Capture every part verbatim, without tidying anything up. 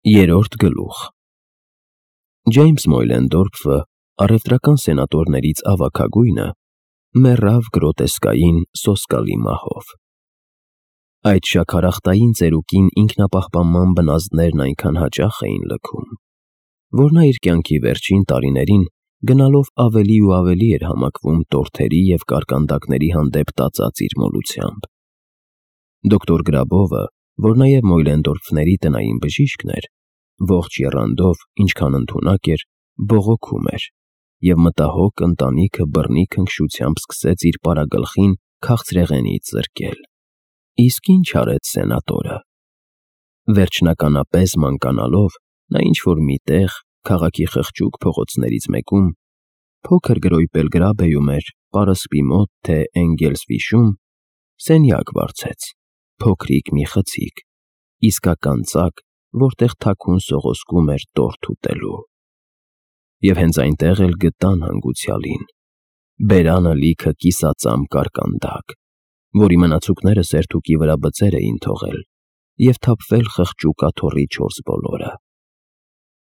Երրորդ գլուխ Ջեյմս Մոյլենդորֆը, առևտրական սենատորներից ավագագույնը, մեռավ գրոտեսկային սոսկալի մահով։ Այդ շաքարախտային ծերուկին ինքնապահպանման բնազդներն այնքան հաճախ էին լքում, որ նա իր կյանքի վերջին տարիներին գնալով ավելի ու ավելի էր համակվում տորթերի և կարկանդակների հանդեպ տածած իր մոլությամբ։ Դոկտոր Գրաբովը, որ նաև Մոյլենդորֆների տնային բժիշկն էր, ողջ եռանդով, ինչքան ընդունակ էր, բողոքում էր, և մտահոգ ընտանիքը բռնի քնքշությամբ սկսեց իր պարագլխին քաղցրեղենից զրկել։ Իսկ ինչ արեց սենատորը։ Վերջնականապես մանկանալով, նա ինչ-որ մի տեղ, քաղաքի խղճուկ փողոցներից մեկում, փոքր գրոյպել գրաբեում էր պարսպի մոտ, թե Էնգելսվիշում, սենյակ վարձեց, փոքրիկ մի խցիկ, իսկական ծակ, որտեղ թաքուն սողոսկում էր տորթ ուտելու։ Եվ հենց այնտեղ էլ գտան հանգուցյալին, բերանը լիքը կիսածամ կարկանդակ, որի մնացուկները սերթուկի վրա բծեր էին թողել և թափվել խղճուկ աթոռի չորս բոլորը։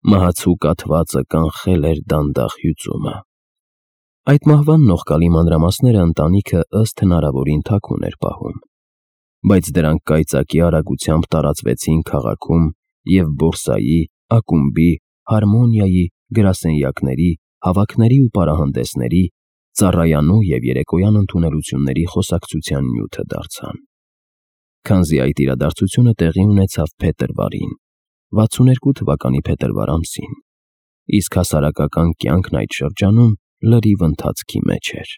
Մահացու կաթվածը կանխել էր դանդաղ հյուծումը։ Այդ մահվան նողկալի մանրամասները ընտանիքը ըստ հնարավորին թաքուն էր պահում, բայց դրանք կայծակի արագությամբ տարածվեցին քաղաքում և բորսայի, ակումբի, հարմոնիայի, գրասենյակների, հավաքների ու պարահանդեսների, ծառայանու և երեկոյան ընդունելությունների խոսակցության նյութը դարձան։ Քանզի այդ իրադարձությունը տեղի ունեցավ փետրվարին, վաթսունութ երկու թվականի փետրվար ամսին, իսկ հասարակական կյանքն այդ շրջանում լրիվ ընթացքի մեջ էր։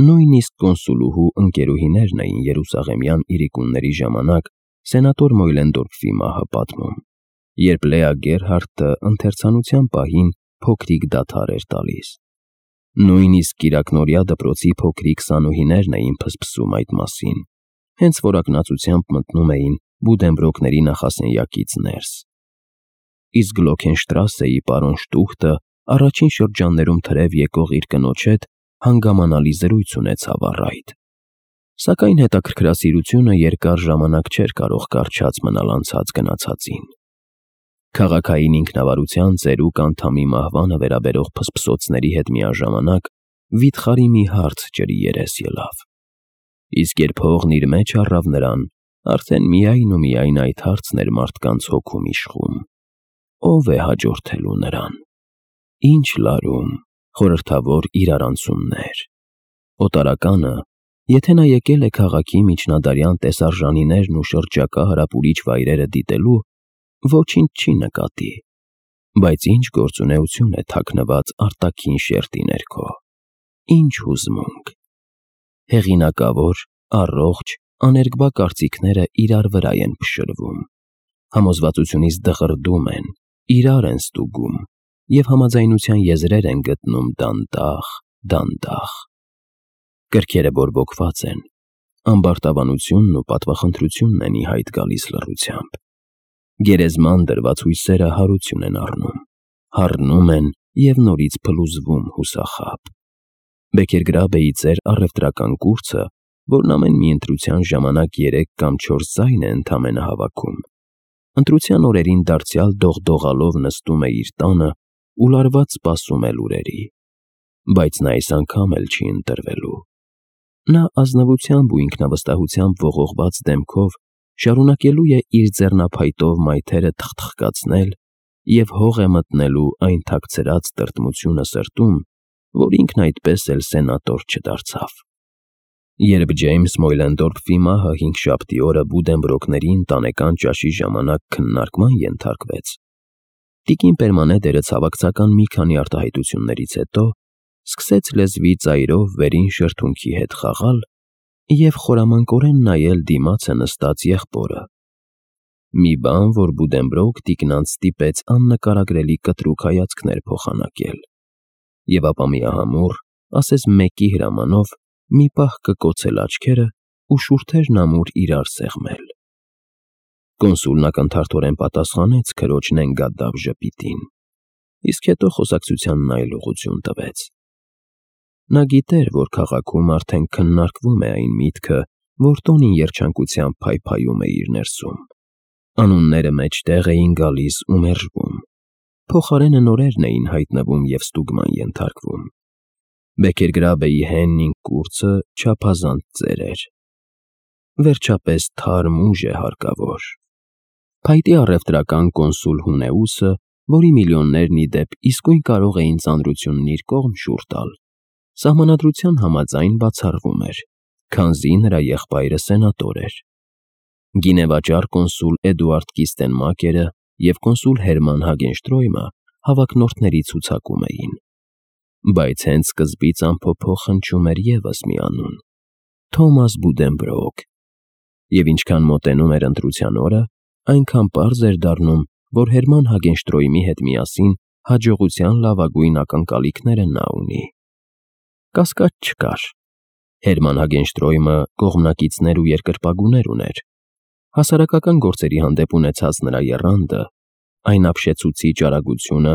Նույնիսկ կոնսուլուհու ընկերուհիներն էին երուսաղեմյան իրիկունների ժամանակ սենատոր Մոյլենդորֆի մահը պատմում, երբ Լեա Գերհարդը ընթերցանության պահին փոքրիկ դադար էր տալիս։ Նույնիսկ կիրակնօրյա դպրոցի փոքրիկ սանուհիներն էին փսփսում այդ մասին, հենց որ ակնածությամբ մտնում էին Բուդենբրոկների նախասենյակից ներս։ Իսկ Գլոքենշտրասեի պարոն Շտուխտը առաջին շրջաններում թրև եկող իր կնոջ հետ հանգամանալի զրույց ունեցավ առ այդ։ Սակայն հետաքրքրասիրությունը երկար ժամանակ չէր կարող կառչած մնալ անցած գնացածին։ Քաղաքային ինքնավարության ծերուկ անդամի մահվանը վերաբերող փսփսոցների հետ միաժամանակ վիթխարի մի հարց ջրի երես ելավ։ Իսկ երբ հողն իր մեջ առավ նրան, արդեն միայն ու միայն այդ հարցն էր մարդկանց հոգում իշխում. ո՞վ է հաջորդելու նրան։ Ինչ լարում, խորհրդավոր իրարանցումներ։ Օտարականը, եթե նա եկել է քաղաքի միջնադարյան տեսարժանիներն ու շրջակա հարապուրիչ վայրերը դիտելու, ոչինչ չի նկատի, բայց ինչ գործունեություն է թաքնված արտաքին շերտի ներքո, ինչ հուզմունք։ Հեղինակավոր, առողջ, աներկբա կարծիքները իրար վրա են փշրվում, համոզվածությունից դղրդում են, իրար են ստուգում և համաձայնության եզրեր են գտնում դանդաղ, դանդաղ։ Կրքերը բորբոքված են, ամբարտավանությունն ու պատվախնդրությունն են ի հայտ գալիս լռությամբ։ Գերեզման դրված հույսերը հարություն են առնում, հառնում են և նորից փլուզվում հուսախաբ։ Բեքերգրաբեի ծեր առևտրական կուրծը, որն ամեն մի ընտրության ժամանակ երեք կամ չորս ձայն է ընդամենը հավաքում, ընտրության օրերին դարձյալ դողդողալով նստում է իր տանը ու լարված սպասում է լուրերի, բայց նա այս անգամ էլ չի ընտրվելու։ Նա ազնվությամբ ու ինքնավստահությամբ ողողված դեմքով շարունակելու է իր ձեռնափայտով մայթերը թխթխկացնել և հող է մտնելու այն թաքցրած տրտմությունը սրտում, որ ինքն այդպես էլ սենատոր չդարձավ։ Երբ Ջեյմս Մոյլենդորֆի մահը հինգշաբթի օրը Բուդենբրոկների ընտանեկան ճաշի ժամանակ քննարկման ենթարկվեց, տիկին Պերմանեդերը ցավակցական մի քանի արտահայտություններից հետո սկսեց լեզվի ծայրով վերին շրթունքի հետ խաղալ և խորամանկորեն նայել դիմացը նստած եղբորը։ Մի բան, որ Բուդենբրոկ տիկնանց ստիպեց աննկարագրելի կտրուկ հայացքներ փոխանակել, և ապա միահամուռ, ասես մեկի հրամանով, մի պահ կկոցել աչքերը ու շուրթերն ամուր իրար սեղմել։ Կոնսուլն ակնթարթորեն պատասխանեց քրոջ նենգադավ ժպիտին, իսկ հետո խոսակցությանն այլ ուղղություն տվեց։ Նա գիտեր, որ քաղաքում արդեն քննարկվում է այն միտքը, որ տոնին երջանկությամբ փայփայում է իր ներսում։ Անունները մեջտեղ էին գալիս ու մերժվում, փոխարենը նորերն էին հայտնվում և ստուգման ենթարկվում։ Բեքերգրաբեի հենն կուրծը չափազանց ծեր էր։ Վերջապես թարմ ուժ է հարկավոր։ Փայտի առևտրական կոնսուլ Հունեուսը, որի միլիոններն ի դեպ իսկույն կարող էին ծանրությունն իր կողմ շուռ տալ, սահմանադրության համաձայն բացառվում էր, քանզի նրա եղբայրը սենատոր էր։ Գինեվաճառ կոնսուլ Էդուարդ Կիստենմակերը և կոնսուլ Հերման Հագենշտրոյմը հավակնորդների ցուցակում էին։ Բայց հենց սկզբից անփոփոխ հնչում էր ևս մի անուն՝ Թոմաս Բուդենբրոուք, և ինչքան մոտենում էր ընտրության օրը, այնքան պարզ էր դառնում, որ Հերման Հագենշտրոյմի հետ միասին հաջողության լավագույն ակնկալիքները նա ունի։ Կասկած չկար։ Հերման Հագենշտրոյմը կողմնակիցներ ու երկրպագուներ ուներ։ Հասարակական գործերի հանդեպ ունեցած նրա եռանդը, այն ապշեցուցիչ արագությունը,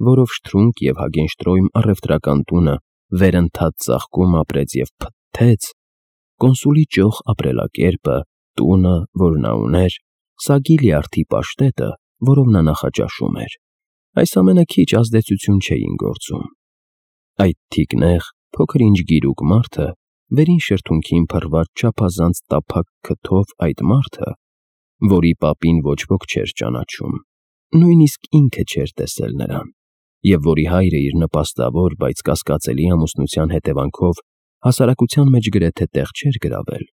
որով Շտրունկ և Հագենշտրոյմ առևտրական տունը վերընթաց ծաղկում ապրեց և փթթեց, կոնսուլի ճոխ ապրելակերպը, տունը, որ նա ուներ, սագի լյարդի պաշտետը, որով նա նախաճաշում էր, այս ամենը քիչ ազդեցություն չէին գործում։ Այդ թիկնեղ, փոքր-ինչ գիրուկ մարդը, վերին շրթունքին փռված չափազանց տափակ քթով այդ մարդը, որի պապին ոչ ոք չէր ճանաչում, նույնիսկ ինքը չէր տեսել նրան, և որի հայրը իր նպաստավոր, բայց կասկածելի ամուսնության հետևանքով հասարակության մեջ գրեթե տեղ չէր գրավել,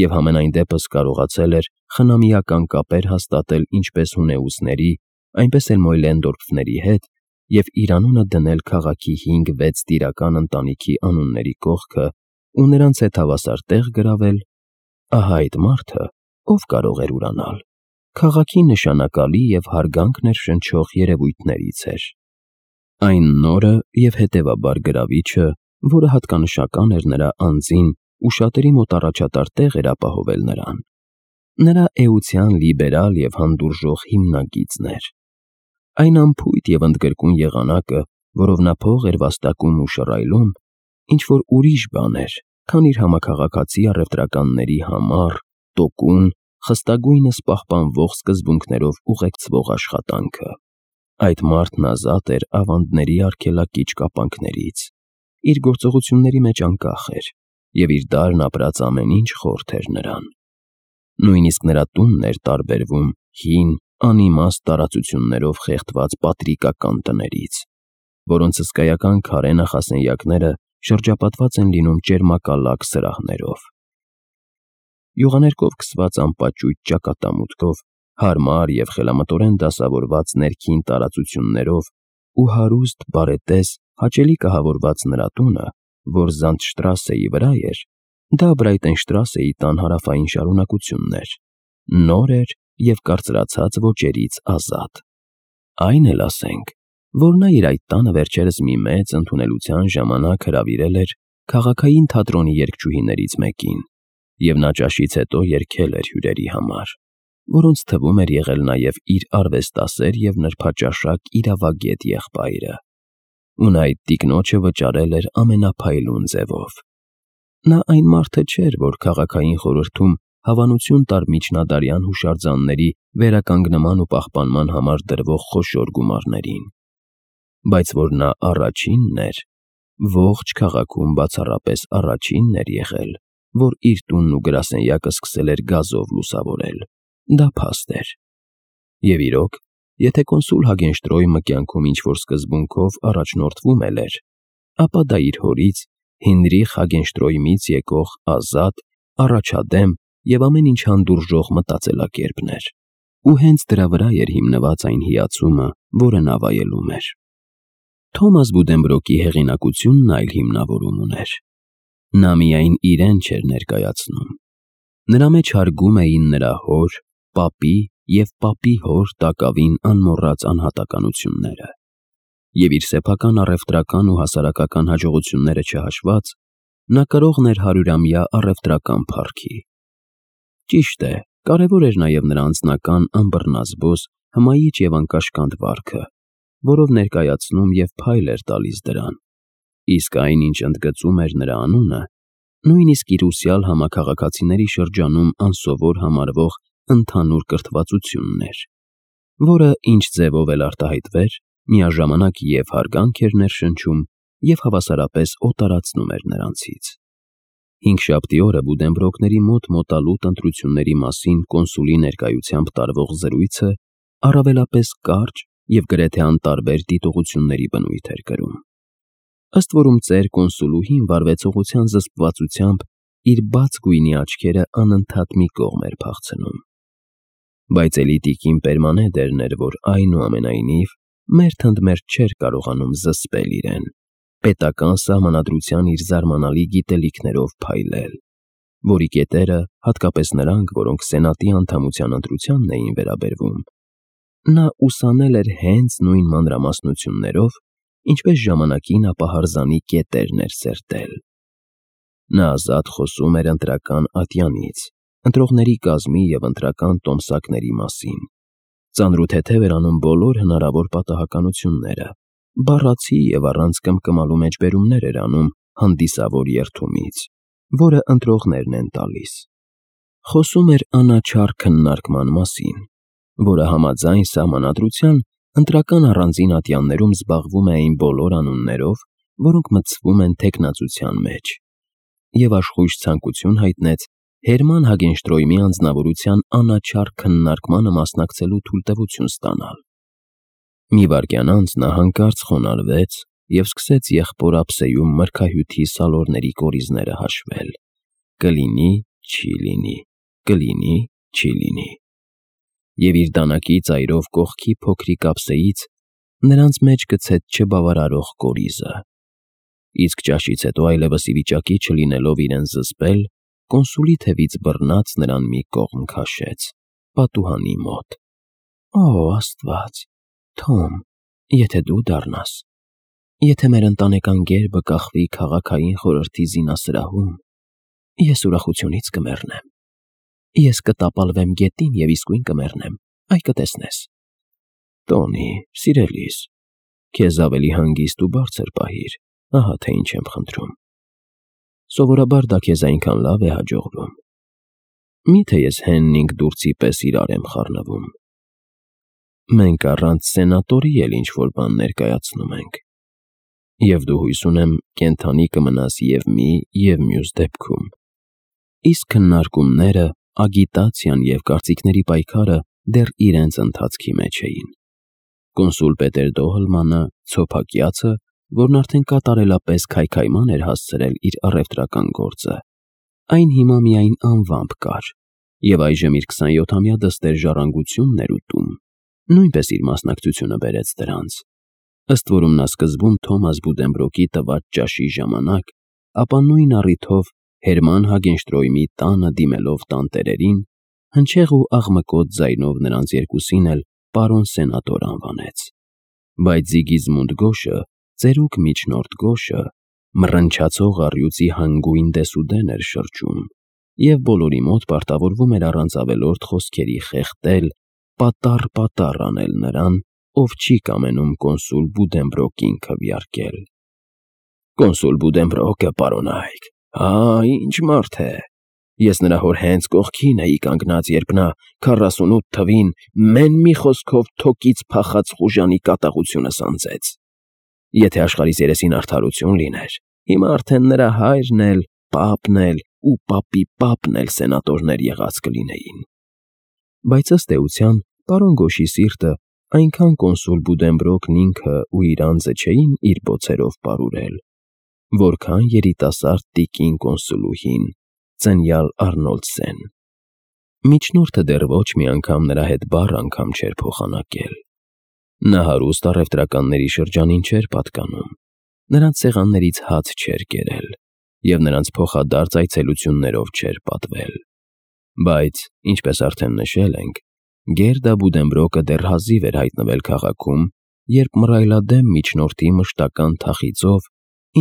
և համենայն դեպս կարողացել էր խնամիական կապեր հաստատել ինչպես Հունեուսների, այնպես էլ Մոյլենդորֆների հետ և իր անունը դնել քաղաքի հինգ֊վեց տիրական ընտանիքի անունների կողքը ու նրանց հետ հավասար տեղ գրավել, ահա այդ մարդը, ով կարող էր ուրանալ, քաղաքի նշանակալի և հարգանք ներշնչող երևույթներից էր։ Այն նորը և հետևաբար գրավիչը, որը հատկանշական էր նրա անձին ու շատերի մոտ առաջատար տեղ էր ապահովել նրան, նրա էության լիբերալ և հանդուրժող հիմնագիծն էր։ Այն անփույթ և ընդգրկուն եղանակը, որով նա փող էր վաստակում ու շռայլում, ինչ-որ ուրիշ բան էր, քան իր համաքաղաքացի առևտրականների համառ, տոկուն, խստագույնս պահպանվող սկզբունքներով ուղեկցվող աշխատանքը։ Այդ մարդն ազատ էր ավանդների արգելակիչ կապանքներից, իր գործողությունների մեջ անկախ էր, և իր դարն ապրած ամեն ինչ խորթ էր նրան։ Նույնիսկ նրա տունն էր տարբերվում հին, անիմաստ տարածություններով խեղդված պատրիկական տներից, որոնց հսկայական քարե նախասենյակները շրջապատված են լինում ճերմակալակ սրահներով։ Յուղաներկով քսված անպաճույճ ճակատամուտքով, հարմար և խելամտորեն դասավորված ներքին տարածություններով ու հարուստ, բարետես, հաճելի կահավորված նրա տունը, որ Զանդշտրասեի վրա էր, դա Բրայտենշտրասեի տան հարավային շարունակությունն էր, նոր էր և կարծրացած ոճերից ազատ։ Այն էլ ասենք, որ նա իր այդ տանը վերջերս մի մեծ ընդունելության ժամանակ հրավիրել էր քաղաքային թատրոնի երգչուհիներից մեկին, և նա ճաշից հետո երգել էր հյուրերի համար, որոնց թվում էր եղել նաև իր արվեստասեր և նրբաճաշակ իրավագետ եղբայրը, ու նա այդ տիկնոջը վճարել էր ամենափայլուն ձևով։ Նա այն մարդը չէր, որ քաղաքային խորհրդում հավանություն տար միջնադարյան հուշարձանների վերականգնման ու պահպանման համար դրվող խոշոր գումարներին, բայց որ նա առաջինն էր, ողջ քաղաքում բացառապես առաջինն էր եղել, որ իր տունն ու գրասենյակը սկսել էր գազով լուսավորել, դա փաստ էր։ Եվ իրոք, եթե կոնսուլ Հագենշտրոյմը կյանքում ինչ-որ սկզբունքով առաջնորդվում էլ էր, ապա դա իր հորից, Հինրիխ Հագենշտրոյմից եկող ազատ, առաջադեմ և ամեն ինչ հանդուրժող մտածելակերպն էր, ու հենց դրա վրա էր հիմնված այն հիացումը, որը նա վայելում էր։ Թոմաս Բուդենբրոկի հեղինակությունն այլ հիմնավորում ուներ։ Նա միայն իրեն չէր ներկայացնում։ Նրա մեջ հարգում էին նրա հոր, պապի և պապի հոր տակավին անմոռաց անհատականությունները, և իր սեփական առևտրական ու հասարակական հաջողությունները չհաշված, նա կրողն էր հարյուրամյա առևտրական փառքի։ Ճիշտ է, կարևոր էր նաև նրա անձնական անբռնազբոս, հմայիչ և անկաշկանդ վարքը, որով ներկայացնում և փայլ էր տալիս դրան, իսկ այն, ինչ ընդգծում էր նրա անունը, նույնիսկ իր ուսյալ համաքաղաքացիների շրջանում անսովոր համարվող ընդհանուր կրթվածությունն էր, որը ինչ ձևով էլ արտահայտվեր, միաժամանակ և հարգանք էր ներշնչում և հավասարապես օտարացնում էր նրանցից։ Հինգշաբթի օրը Բուդենբրոկների մոտ մոտալուտ ընտրությունների մասին կոնսուլի ներկայությամբ տարվող զրույցը առավելապես կարճ և գրեթե անտարբեր դիտողությունների բնույթ էր կրում։ Ըստ որում ծեր կոնսուլուհին վարվեցողության զսպվածությամբ իր բաց գույնի աչքերը անընդհատ մի կողմ էր փախցնում։ Բայց էլի տիկին Պերմանեդերն էր, որ այնուամենայնիվ մերթ ընդ մերթ չէր կարողանում զսպել իրեն, պետական սահմանադրության իր զարմանալի գիտելիքներով փայլել, որի կետերը, հատկապես նրանք, որոնք սենատի անդամության ընտրությանն էին վերաբերվում, նա ուսանել էր հենց նույն մանրամասնություններով, ինչպես ժամանակին ապահարզանի կետերն էր սերտել։ Նա ազատ խոսում էր ընտրական ատյանից, ընտրողների կազմի և ընտրական տոմսակների մասին, ծանրութեթև էր անում բոլոր հնարավոր պատահականությունները, բառացի և առանց կմկմալու մեջբերումներ էր անում հանդիսավոր երդումից, որը ընտրողներն են տալիս։ Խոսում էր անաչառ քննարկման մասին, որը համաձայն սահմանադրության ընտրական առանձին ատյաններում զբաղվում է այն բոլոր անուններով, որոնք մտցվում են թեկնածության մեջ, և աշխույժ ցանկություն հայտնեց Հերման Հագենշտրոյմի անձնավորության անաչառ քննարկմանը մասնակցելու թույլտվություն ստանալ։ Մի վայրկյան անց նա հանկարծ խոնարհվեց և սկսեց եղբոր ափսեում մրգահյութի սալորների կորիզները հաշվել. կլինի, չի լինի, կլինի, չի լինի։ Եվ իր դանակի ծայրով կողքի փոքրիկ ափսեից նրանց մեջ գցեց չբավարարող կորիզը։ Իսկ ճաշից հետո այլևս ի վիճակի չլինելով իրեն զսպել, կոնսուլի թևից բռնած նրան մի կողմ քաշեց, պատուհանի մոտ։ Օ, Աստված, Թոմ, եթե դու դառնաս, եթե մեր ընտանեկան գերբը կախվի քաղաքային խորհրդի զինասրահում, ես ուրախությունից կմեռնեմ։ Ես կտապալվեմ գետին և իսկույն կմեռնեմ, այ կտեսնես։ Տոնի, սիրելիս, քեզ ավելի հանգիստ ու բարձր պահիր, ահա թե ինչ եմ խնդրում։ Սովորաբար դա քեզ այնքան լավ է հաջողվում։ Մի՞թե ես Հեննինգ Դուրցի պես իրար եմ խառնվում։ Մենք առանց սենատորի էլ ինչ-որ բան ներկայացնում ենք։ Եվ դու հույս ունեմ կենդանի կմնաս և մի, և մյուս դեպքում։ Իսկ քննարկումները, ագիտացիան և կարծիքների պայքարը դեռ իրենց ընթացքի մեջ էին։ Կոնսուլ Պետեր Դոհլմանը, ցոփակյացը, որն արդեն կատարելապես քայքայման էր հասցրել իր առևտրական գործը, այն հիմա միայն անվամբ կար, և այժմ իր քսանյոթամյա դստեր ժառանգությունն էր ուտում, նույնպես իր մասնակցությունը բերեց դրանց, ըստ որում նա սկզբում Թոմաս Բուդենբրոկի տված ճաշի ժամանակ, ապա նույն առիթով Հերման Հագենշտրոյմի տանը դիմելով տանտերերին, հնչեղ ու աղմկոտ ձայնով նրանց երկուսին էլ պարոն սենատոր անվանեց։ Բայց Զիգիզմունդ Գոշը, ծերուկ միջնորդ Գոշը, մռնչացող առյուծի հանգույն դեսուդեն էր շրջում, և բոլորի մոտ պարտավորվում էր առանց ավելորդ խոսքերի խեղդել, պատառ-պատառ անել նրան, ով չի կամենում կոնսուլ Բուդենբրոկին քվեարկել։ Կոնսուլ Բուդենբրոկը, պարոնայք, ահա ինչ մարդ է։ Ես նրա հոր հենց կողքին էի կանգնած, երբ նա քառասունութ թվին մեն մի խոսքով թոկից փախած խուժանի կատաղությունը սանձեց։ Եթե աշխարհիս երեսին արդարություն լիներ, հիմա արդեն նրա հայրն էլ, պապն էլ ու պապի պապն էլ սենատորներ եղած կլինեին։ Բայց ըստ էության, պարոն Գոշի սիրտը այնքան կոնսուլ Բուդենբրոկն ինքը ու իր անձը չէին իր բոցերով պարուրել, որքան երիտասարդ տիկին կոնսուլուհին, ծնյալ Արնոլդսեն։ Միջնորդը դեռ ոչ մի անգամ նրա հետ բառ անգամ չէր փոխանակել։ Նա հարուստ առևտրականների շրջանին չէր պատկանում, նրանց սեղաններից հաց չէր կերել և նրանց փոխադարձ այցելություններով չէր պատվել։ Բայց, ինչպես արդեն նշել ենք, Գերդա Բուդենբրոկը դեռ հազիվ էր հայտնվել քաղաքում, երբ մռայլադեմ միջնորդի մշտական թախիծով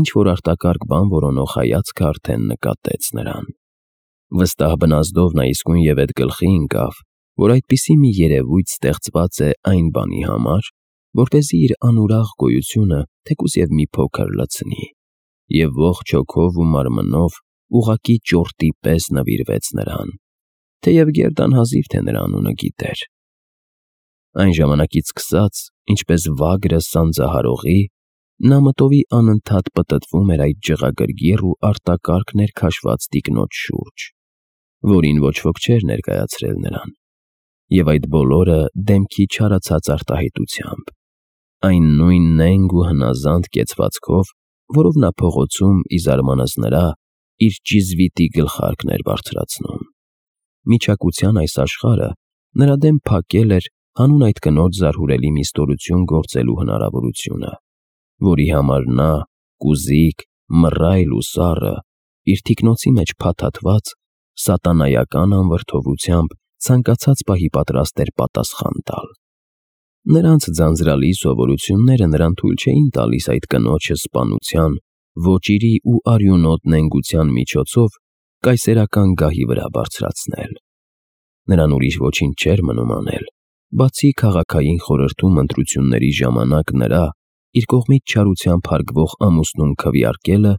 ինչ-որ արտակարգ բան որոնող հայացքը արդեն նկատեց նրան։ Վստահ բնազդով նա իսկույն և էդ գլխի ընկավ, որ այդպիսի մի երևույթ ստեղծված է այն բանի համար, որպեսզի իր անուրախ գոյությունը թեկուզ և մի փոքր լցնի, և ողջ հոգով ու մարմնով ուղղակի ճորտի պես նվիրվեց նրան, թեև Գերդան հազիվ թե նրա անունը գիտեր։ Այն ժամանակից սկսած, ինչպես վագրը սանձահարողի, նա մտովի անընդհատ պտտվում էր այդ ջղագրգիռ ու արտակարգ ներքաշված տիկնոջ շուրջ, որին ոչ ոք չէր ներկայացրել նրան, և այդ բոլորը դեմքի չարացած արտահայտությամբ, այն նույն նենգ ու հնազանդ կեցվածքով, որով նա փողոցում, ի զարմանս նրա, իր ճիզվիտի գլխարկն էր բարձրացնում։ Միչակության այս աշխարհը նրա դեմ փակել էր հանուն այդ կնոջ զարհուրելի մի ստորություն գործելու հնարավորությունը, որի համար նա, կուզիկ, մռայլ ու սառը, իր թիկնոցի մեջ փաթաթված, սատանայական անվրդովությամբ ցանկացած պահի պատրաստ էր պատասխան տալ։ Նրանց ձանձրալի սովորությունները նրան թույլ չէին տալիս այդ կնոջը սպանության, ոճիրի ու արյունոտ նենգության միջոցով կայսերական գահի վրա բարձրացնել։ Նրան ուրիշ ոչինչ չէր մնում անել, բացի քաղաքային խորհրդում ընտրությունների ժամանակ նրա, իր կողմից չարությամբ հարգվող ամուսնուն քվեարկելը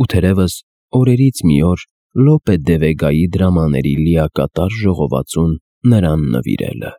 ու թերևս օրերից մի օր Լոպե դե Վեգայի դրամաների լիակատար ժողովածուն նրան նվիրելը։